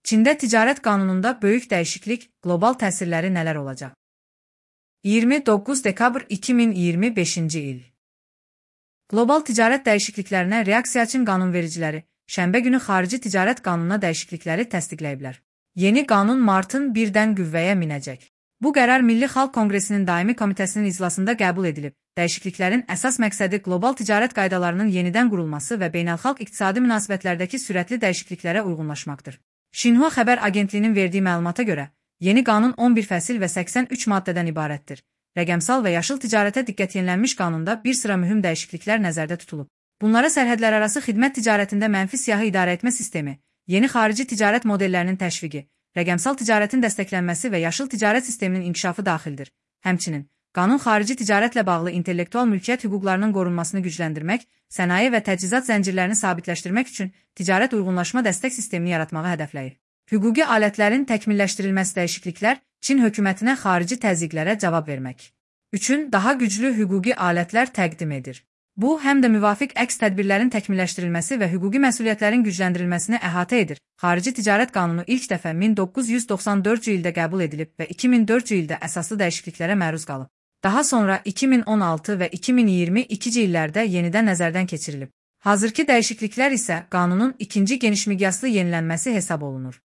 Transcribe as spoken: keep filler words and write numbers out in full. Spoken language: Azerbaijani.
Çində ticarət qanununda böyük dəyişiklik, qlobal təsirləri nələr olacaq? iyirmi doqquz dekabr iki min iyirmi beşinci il. Qlobal ticarət dəyişikliklərinə reaksiya üçün qanunvericiləri şənbə günü xarici ticarət qanununa dəyişiklikləri təsdiqləyiblər. Yeni qanun martın birdən qüvvəyə minəcək. Bu qərar Milli Xalq Konqresinin Daimi Komitəsinin iclasında qəbul edilib. Dəyişikliklərin əsas məqsədi qlobal ticarət qaydalarının yenidən qurulması və beynəlxalq iqtisadi münasibətlərdəki sürətli dəyişikliklərə uyğunlaşmaqdır. Şinhua xəbər agentliyinin verdiyi məlumata görə, yeni qanun on bir fəsil və səksən üç maddədən ibarətdir. Rəqəmsal və yaşıl ticarətə diqqət yenilənmiş qanunda bir sıra mühüm dəyişikliklər nəzərdə tutulub. Bunlara sərhədlərarası xidmət ticarətində mənfi siyahı idarə etmə sistemi, yeni xarici ticarət modellərinin təşviqi, rəqəmsal ticarətin dəstəklənməsi və yaşıl ticarət sisteminin inkişafı daxildir. Həmçinin, qanun xarici ticarətlə bağlı intellektual mülkiyyət hüquqlarının qorunmasını gücləndirmək, sənaye və təchizat zəncirlərini sabitləşdirmək üçün ticarət uyğunlaşma dəstək sistemini yaratmağı hədəfləyir. Hüquqi alətlərin təkmilləşdirilməsi dəyişikliklər Çin hökumətinə xarici təzyiqlərə cavab vermək üçün daha güclü hüquqi alətlər təqdim edir. Bu, həm də müvafiq əks tədbirlərin təkmilləşdirilməsi və hüquqi məsuliyyətlərin gücləndirilməsini əhatə edir. Xarici ticarət qanunu ilk dəfə min doqquz yüz doxsan dördüncü ildə qəbul edilib və iki min dördüncü ildə əsaslı dəyişikliklərə məruz qalıb. Daha sonra iki min on altı və iki min iyirmi ikinci illərdə yenidən nəzərdən keçirilib. Hazırki dəyişikliklər isə qanunun ikinci geniş miqyaslı yenilənməsi hesab olunur.